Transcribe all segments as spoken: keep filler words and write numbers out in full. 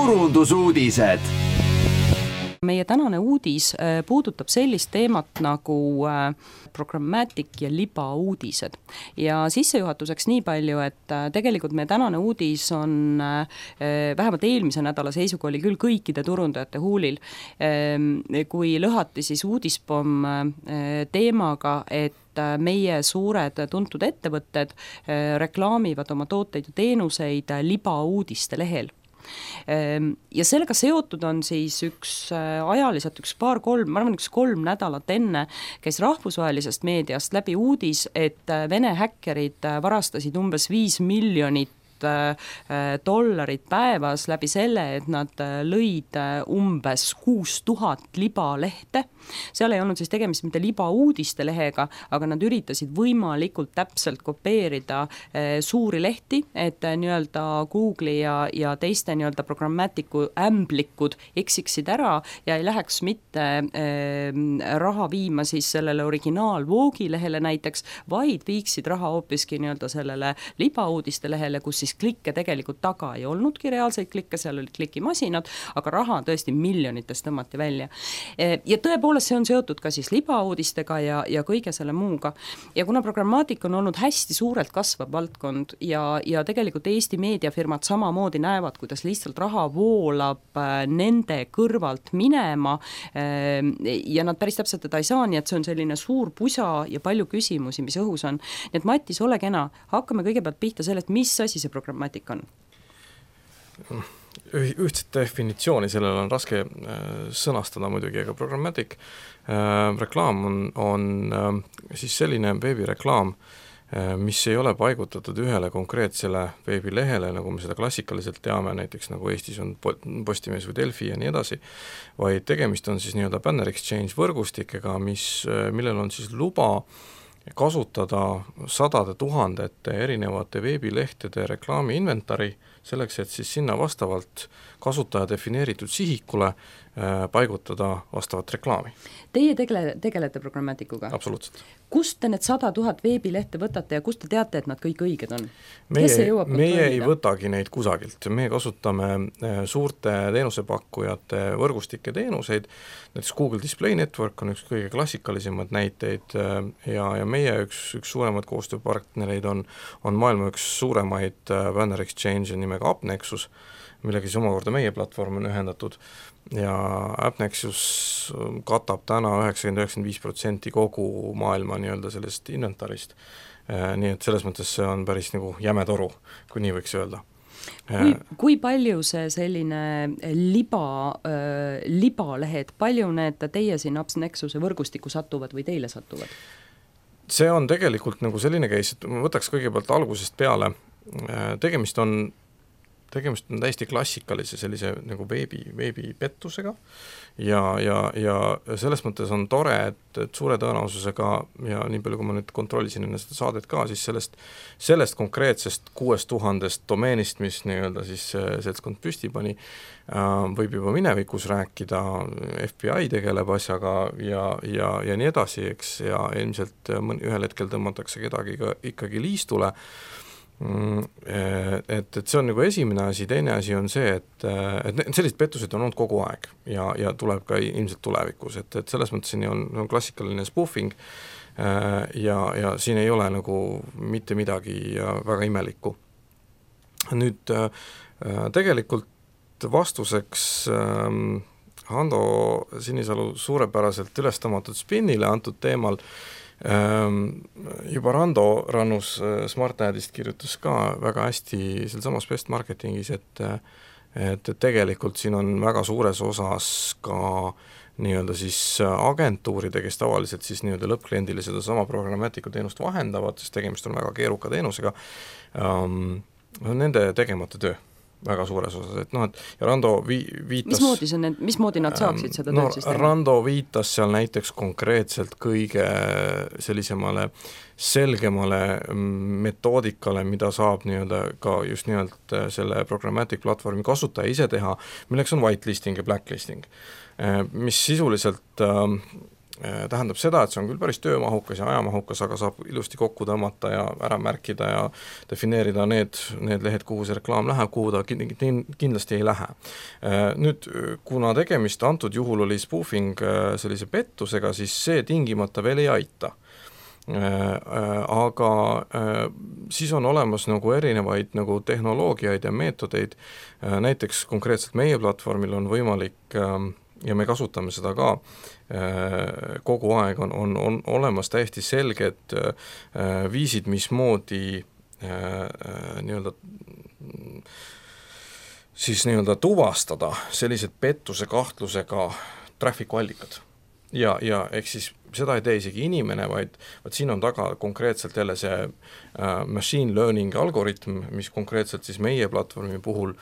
turundusuudised. Meie tänane uudis puudutab sellist teemat nagu programmatic ja libauudised. Ja sissejuhatuseks nii palju, et tegelikult meie tänane uudis on vähemalt eelmise nädala seisuga oli küll kõikide turundajate huulil, kui lõhati siis uudispomm teemaga, et meie suured tuntud ettevõtted reklaamivad oma tooteid ja teenuseid libauudiste lehel. Ja sellega seotud on siis üks ajaliselt üks paar kolm, ma arvan üks kolm nädalat enne käis rahvusvahelisest meediast läbi uudis, et Vene häkkerid varastasid umbes viis miljonit dollarit päevas läbi selle, et nad lõid umbes kuus tuhat libalehte. Seal ei olnud siis tegemist mitte libauudiste lehega, aga nad üritasid võimalikult täpselt kopeerida suuri lehti, et nii-öelda Google'i ja, ja teiste nii-öelda programmatiku ämblikud eksiksid ära ja ei läheks mitte äh, raha viima siis sellele originaalvoogi lehele näiteks, vaid viiksid raha hoopiski nii-öelda sellele libauudiste lehele, kus siis klikke tegelikult taga ei olnudki reaalseid klikke, seal olid klikimasinad, aga raha tõesti miljonitest tõmmati välja. Ja tõepoolest see on seotud ka siis libauudistega ja, ja kõige selle muuga. Ja kuna programmaatika on olnud hästi suurelt kasvav valdkond ja, ja tegelikult Eesti meediafirmad samamoodi näevad, kuidas lihtsalt raha voolab nende kõrvalt minema ja nad päris täpselt teda ei saa, nii et see on selline suur pusa ja palju küsimusi, mis õhus on. Nii et Matis, ole kena, hakkame kõigepealt pihta sellest, mis asi see programmaatika on? Ühtset definitsiooni sellele on raske sõnastada muidugi, aga programmatic reklaam on, on siis selline veebireklaam, mis ei ole paigutatud ühele konkreetsele veebilehele, nagu me seda klassikaliselt teame, näiteks nagu Eestis on Postimees või Delfi ja nii edasi, vaid tegemist on siis nii-öelda banner exchange võrgustikega, mis, millel on siis luba kasutada sadade tuhandete erinevate veebilehtede reklaami inventari, selleks, et siis sinna vastavalt kasutaja defineeritud sihikule äh, paigutada vastavat reklaami. Teie tegele, tegelete programmatikuga? Absoluutselt. Kust te need sada tuhat veebilehte võtate ja kust te teate, et nad kõik õiged on? Meie, meie ei võtagi neid kusagilt. Me kasutame suurte teenusepakkujate võrgustike teenuseid. Näiteks Google Display Network on üks kõige klassikalisemad näiteid ja, ja meie üks, üks suuremad koostööpartnereid on, on maailma üks suuremaid banner exchange nimega AppNexus, millega siis omakorda meie platvorm on ühendatud ja AppNexus katab täna üheksakümmend kuni üheksakümmend viis protsenti kogu maailma nii-öelda sellest inventarist. Nii et selles mõttes see on päris nagu jäme toru, kui nii võiks öelda. Kui, kui palju see selline liba, äh, libalehed, palju need teie siin AppNexuse võrgustikku satuvad või teile satuvad? See on tegelikult nagu selline case, et ma võtaks kõigepealt algusest peale. Tegemist on tegemist on täiesti klassikalise sellise nagu veebi, veebipettusega ja, ja, ja selles mõttes on tore, et, et suure tõenäosusega ja nii palju, kui ma nüüd kontrollisin enne seda saadet ka, siis sellest, sellest konkreetsest kuuest tuhandest domeenist, mis nii-öelda siis seltskond püsti pani, võib juba minevikus rääkida, F B I tegeleb asjaga ja, ja, ja nii edasi, eks, ja ilmselt ühel hetkel tõmmatakse kedagi ka ikkagi liistule. Et, et see on nagu esimene asi, teine asi on see, et, et sellised pettused on olnud kogu aeg ja, ja tuleb ka ilmselt tulevikus, et, et selles mõttes siin on, on klassikaline spoofing ja, ja siin ei ole nagu mitte midagi väga imelikku. Nüüd tegelikult vastuseks Hando Sinisalu suurepäraselt ülestamatud spinnile antud teemal juba Rando Rannus Smart Adist kirjutas ka väga hästi seal samas Best Marketingis, et, et tegelikult siin on väga suures osas ka nii-öelda siis agentuuride, kes tavaliselt siis nii-öelda lõppkliendile seda sama programmatiku teenust vahendavad, sest tegemist on väga keeruka teenusega, um, nende tegemata töö väga suures osas, et noh, et ja Rando vi- viitas... Mismoodi, see, mismoodi nad saaksid seda no, tööd siis teha? Rando viitas seal näiteks konkreetselt kõige sellisemale selgemale metoodikale, mida saab nii-öelda ka just nimelt selle programmatic platvormi kasutaja ise teha, milleks on whitelisting ja blacklisting, mis sisuliselt tähendab seda, et see on küll päris töömahukas ja ajamahukas, aga saab ilusti kokku tõmmata ja ära märkida ja defineerida need, need lehed, kuhu see reklaam läheb, kuhu ta kindlasti ei lähe. Nüüd, kuna tegemist antud juhul oli spoofing sellise pettusega, siis see tingimata veel ei aita. Aga siis on olemas nagu erinevaid nagu tehnoloogiaid ja meetodeid, näiteks konkreetselt meie platvormil on võimalik ja me kasutame seda ka kogu aeg, on, on, on olemas täiesti selged viisid, mismoodi nii-öelda siis nii-öelda tuvastada sellised pettuse kahtlusega trafficu allikad. Ja, ja ehk siis seda ei tee isegi inimene, vaid, vaid siin on taga konkreetselt jälle see machine learning algoritm, mis konkreetselt siis meie platvormi puhul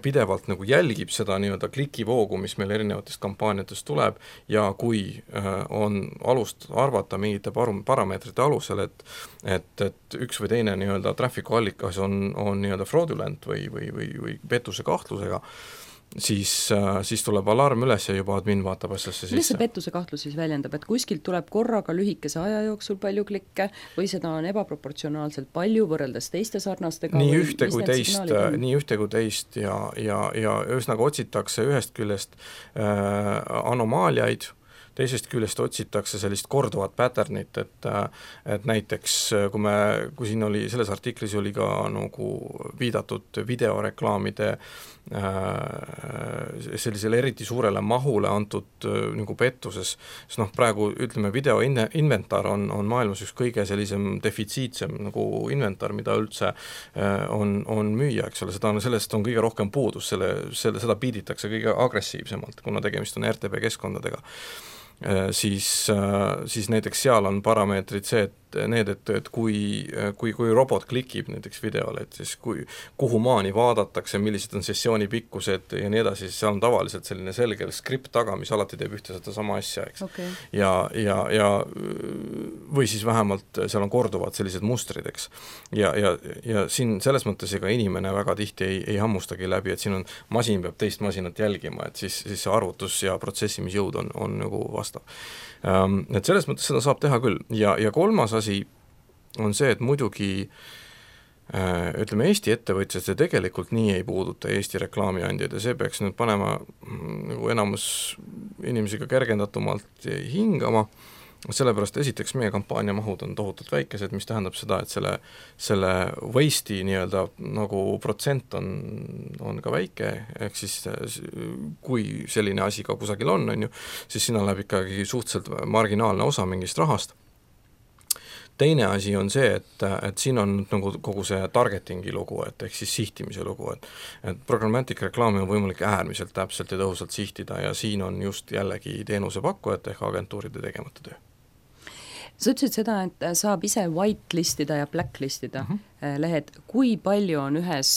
pidevalt nagu jälgib seda nii-öelda klikivoogu, mis meil erinevatest kampaaniatest tuleb ja kui on alust arvata mingite parameetrite alusel, et, et, et üks või teine nii-öelda trafficu allikas on, on nii-öelda fraudulent või, või, või, või pettuse kahtlusega, siis, siis tuleb alarm üles ja juba admin vaatab asjasse sisse. Mis see pettuse kahtlus siis väljendab, et kuskilt tuleb korraga lühikese aja jooksul palju klikke või seda on ebaproportsionaalselt palju võrreldes teiste sarnastega? Nii ühte kui teist, nii ühte kui teist ja, ja, ja ühesõnaga otsitakse ühest küljest äh, anomaaliaid, teisest küljest otsitakse sellist korduvat patternit, et, et näiteks kui me, kui siin oli, selles artiklis oli ka nagu viidatud videoreklaamide sellisele eriti suurele mahule antud nagu pettuses, sest noh, praegu ütleme, video inventar on, on maailmas üks kõige sellisem defitsiitsem nagu inventar, mida üldse on, on müüa, eks ole, seda on, sellest on kõige rohkem puudus, selle, selle, seda piiditakse kõige agressiivsemalt, kuna tegemist on R T B keskkondadega. Siis, siis näiteks seal on parameetrid see, et need, et, et kui, kui, kui robot klikib näiteks videole, et siis kui, kuhu maani vaadatakse, millised on sessiooni pikkused ja nii edasi, siis seal on tavaliselt selline selge skript taga, mis alati teeb ühte seda sama asja, eks. Okay. Ja, ja, ja või siis vähemalt seal on korduvad sellised mustrid, eks. Ja, ja, ja siin selles mõttes ega inimene väga tihti ei, ei hammustagi läbi, et siin on, masin peab teist masinat jälgima, et siis, siis see arvutus ja protsessimisjõud on, on nagu vastav. Um, et selles mõttes seda saab teha küll ja, ja kolmas asi on see, et muidugi äh, ütleme, Eesti ettevõtjad see tegelikult nii ei puuduta Eesti reklaamiandjaid ja see peaks nüüd panema nagu enamus inimesiga kergendatumalt hingama, sellepärast esiteks meie kampaaniamahud on tohutult väikesed, mis tähendab seda, et selle, selle waste'i nii-öelda nagu protsent on, on ka väike, ehk siis kui selline asi ka kusagil on, on ju, siis sinna läheb ikkagi suhteliselt marginaalne osa mingist rahast. Teine asi on see, et, et siin on nagu kogu see targetingi lugu, et ehk siis sihtimise lugu, et, et programmatic reklaami on võimalik äärmiselt täpselt ja tõhusalt sihtida ja siin on just jällegi teenusepakkujate ehk agentuuride tegemata töö. Sa ütlesid seda, et saab ise whitelistida ja blacklistida mm -hmm. lehed. Kui palju on ühes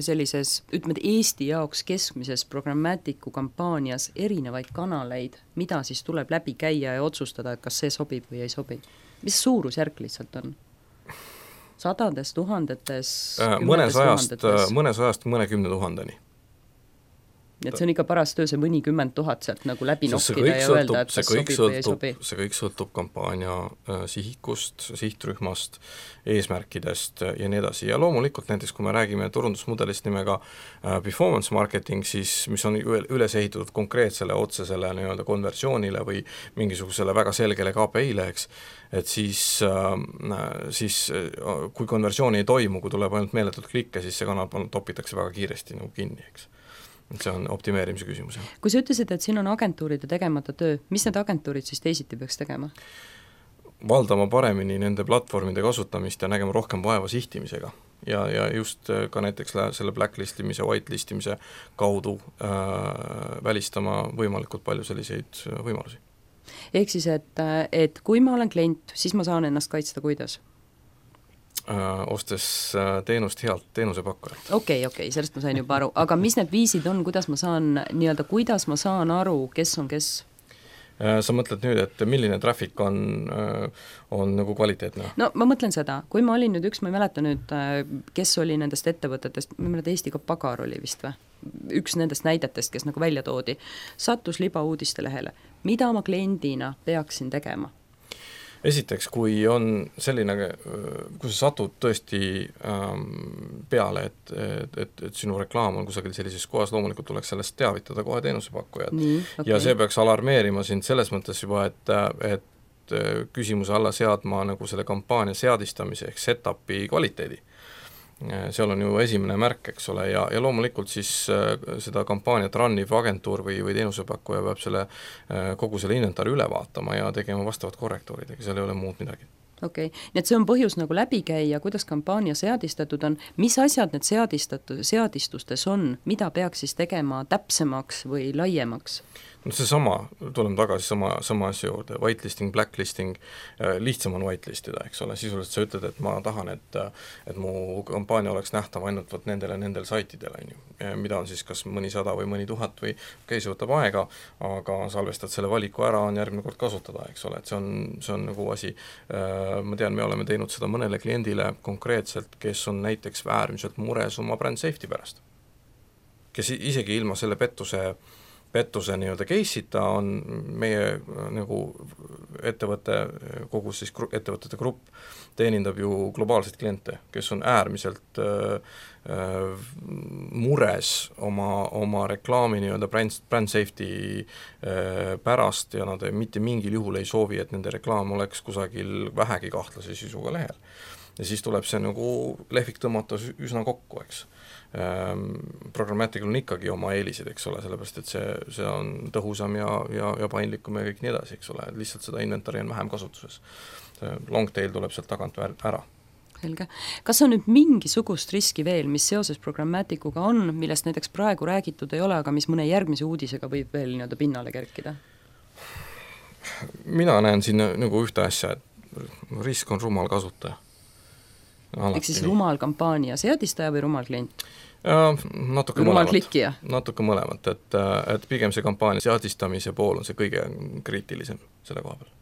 sellises, ütleme, Eesti jaoks keskmises programmatiku kampaanias erinevaid kanaleid, mida siis tuleb läbi käia ja otsustada, et kas see sobib või ei sobi? Mis suurusjärk lihtsalt on? Sadades, tuhandetes, mõnes ajast, mõnes ajast mõne kümne tuhandeni. Et see on ikka parast töö, see mõnikümmend tuhat sealt nagu läbi nokkida ja sõltub, öelda, et kas sobib sõltub, või ei sobi. See kõik sõltub kampaania äh, sihikust, sihtrühmast, eesmärkidest ja nii edasi. Ja loomulikult näiteks, kui me räägime turundusmudelist nimega äh, performance marketing, siis mis on üles ehitatud konkreetsele otsesele nii-öelda konversioonile või mingisugusele väga selgele K P I-le, eks, et siis, äh, siis äh, kui konversiooni ei toimu, kui tuleb ainult meeletult klikke, siis see kanal topitakse väga kiiresti nagu kinni, eks. See on optimeerimise küsimus. Kui sa ütlesid, et siin on agentuuride tegemata töö, mis need agentuurid siis teisiti peaks tegema? Valdama paremini nende platvormide kasutamist ja nägema rohkem vaeva sihtimisega. Ja, ja just ka näiteks selle blacklistimise, whitelistimise kaudu äh, välistama võimalikult palju selliseid võimalusi. Ehk siis, et, et kui ma olen klient, siis ma saan ennast kaitsta kuidas? ostes teenust healt teenusepakkuja. Okei, okay, okei, okay, sellest ma sain juba aru, aga mis need viisid on, kuidas ma saan nii-öelda, kuidas ma saan aru, kes on kes? Sa mõtled nüüd, et milline traffic on, on nagu kvaliteetne? No ma mõtlen seda, kui ma olin nüüd üks, ma ei mäleta nüüd, kes oli nendest ettevõtetest, ma ei mäleta, Eesti Pagar oli vist või? üks nendest näidetest, kes nagu välja toodi, sattus libauudiste lehele. Mida ma kliendina peaksin tegema? Esiteks, kui on selline, kui sa satud tõesti ähm, peale, et, et, et, et sinu reklaam on kusagil sellises kohas, loomulikult tuleks sellest teavitada kohe teenusepakkujad. Okay. Ja see peaks alarmeerima sind selles mõttes juba, et, et küsimuse alla seadma nagu selle kampaania seadistamise ehk set-upi kvaliteedi. Seal on ju esimene märk, eks ole, ja, ja loomulikult siis äh, seda kampaaniat runniv agentuur või, või teenusepakkuja peab selle äh, kogu selle inventari üle vaatama ja tegema vastavad korrektuurid, ega seal ei ole muud midagi. Okei okay., nii et see on põhjus nagu läbi käia, kuidas kampaania seadistatud on, mis asjad need seadistatud, seadistustes on, mida peaks siis tegema täpsemaks või laiemaks? No see sama, tuleme tagasi sama, sama asja juurde, whitelisting, blacklisting, lihtsam on whitelistida, eks ole, sisuliselt sa ütled, et ma tahan, et, et mu kampaania oleks nähtav ainult võt nendele, nendel saitidel, on ju, mida on siis kas mõni sada või mõni tuhat või okei, see võtab aega, aga salvestad selle valiku ära, on järgmine kord kasutada, eks ole, et see on, see on nagu asi, ma tean, me oleme teinud seda mõnele kliendile konkreetselt, kes on näiteks äärmiselt mures oma brand safety pärast, kes isegi ilma selle pettuse pettuse nii-öelda case'ita on meie nagu ettevõtte, kogu siis gru, ettevõtete grupp teenindab ju globaalseid kliente, kes on äärmiselt äh, äh, mures oma, oma reklaami nii-öelda brand, brand safety äh, pärast ja nad mitte mingil juhul ei soovi, et nende reklaam oleks kusagil vähegi kahtlase sisuga lehel. Ja siis tuleb see nagu lehvik tõmmata üsna kokku, eks. Programmaticul on ikkagi oma eelised, eks ole, sellepärast, et see, see on tõhusam ja, ja, ja paindlikum ja kõik nii edasi, eks ole, lihtsalt seda inventari on vähem kasutuses. Long tail tuleb sealt tagant ära. Selge. Kas on nüüd mingisugust riski veel, mis seoses Programmaticuga on, millest näiteks praegu räägitud ei ole, aga mis mõne järgmise uudisega võib veel nii-öelda pinnale kerkida? Mina näen siin nagu ühte asja, et risk on rumal kasutaja. Ehk siis rumal kampaania seadistaja või rumal klient? Ja, natuke rumal mõlemat. Klikkija? Natuke mõlemat, et, et pigem see kampaania seadistamise pool on see kõige kriitilisem selle koha peal.